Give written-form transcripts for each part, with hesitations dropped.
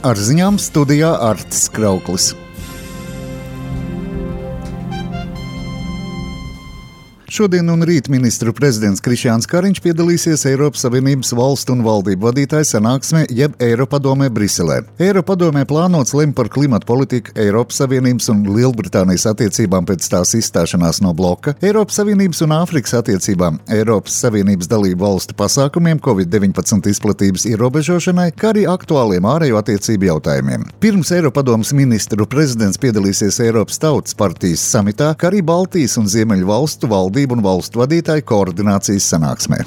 Ar ziņām studijā Artis Krauklis. Šodien un rīt ministru prezidents Krišjāns Kariņš piedalīsies Eiropas Savienības valstu un valdību vadītāju sanāksmē jeb Eiropadomē Briselē. Eiropadomē plānots lemt par klimatu politiku, Eiropas Savienības un Lielbritānijas attiecībām pēc tās izstāšanās no bloka, Eiropas Savienības un Āfrikas attiecībām, Eiropas Savienības dalību valstu pasākumiem Covid-19 izplatības ierobežošanai, kā arī aktuāliem ārējo attiecību jautājumiem. Pirms Eiropadomes ministru prezidents piedalīsies Eiropas Tautas partijas samitā, kā arī Baltijas un Ziemeļu valstu valdību un valstu vadītāju koordinācijas sanāksmē.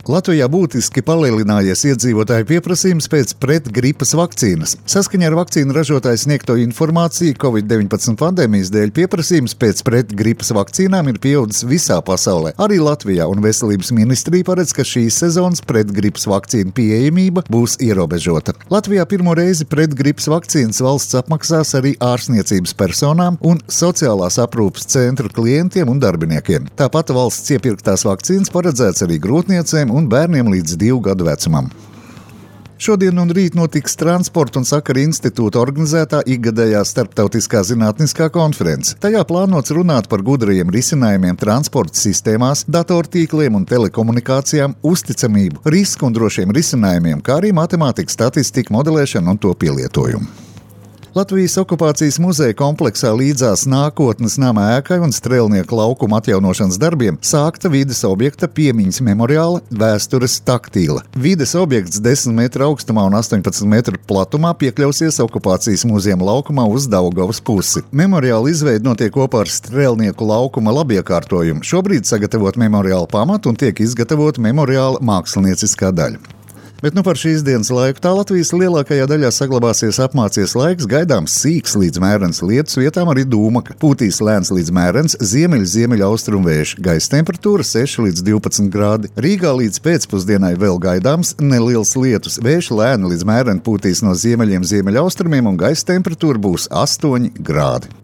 Latvijā būtiski palielinājies iedzīvotāju pieprasījums pēc pretgripas vakcīnas. Saskaņā ar vakcīnu ražotāju sniegto informāciju Covid-19 pandēmijas dēļ pieprasījums pēc pretgripas vakcīnām ir pieaudzis visā pasaulē, arī Latvijā, un Veselības ministrija paredz, ka šīs sezonas pretgripas vakcīnu pieejamība būs ierobežota. Latvijā pirmo reizi pretgripas vakcīnas valsts apmaksās arī ārsniecības personām un sociālās aprūpes centru klientiem un darbiniekiem. Tāpat valsts iepirktās vakcīnas paredzēts arī grūtniecēm un bērniem līdz 2 gadu vecumam. Šodien un rīt notiks Transporta un sakaru institūta organizētā ikgadējā starptautiskā zinātniskā konference. Tajā plānots runāt par gudrajiem risinājumiem transporta sistēmās, datortīkliem un telekomunikācijām, uzticamību, risku un drošiem risinājumiem, kā arī matemātikas, statistika, modelēšanu un to pielietojumu. Latvijas okupācijas muzeja kompleksā līdzās nākotnes nama ēkai un Strēlnieku laukuma atjaunošanas darbiem sākta vides objekta piemiņas memoriāla vēstures taktīla. Vides objekts 10 metru augstumā un 18 metru platumā piekļausies okupācijas muzejuma laukumā uz Daugavas pusi. Memoriāla izveide notiek kopā ar Strēlnieku laukuma labiekārtojumu. Šobrīd sagatavot memoriāla pamatu un tiek izgatavot memoriāla mākslinieciskā daļa. Bet par šīs dienas laiku tā Latvijas lielākajā daļā saglabāsies apmācies laiks, gaidāms sīks līdz mērens lietus, vietām arī dūmaka. Pūtīs lēns līdz mērens, ziemeļaustrumu vējš, gaisa temperatūra 6 līdz 12 grādi. Rīgā līdz pēcpusdienai vēl gaidāms neliels lietus, vējš lēni līdz mēreni pūtīs no ziemeļiem ziemeļaustrumiem un gaisa temperatūra būs 8 grādi.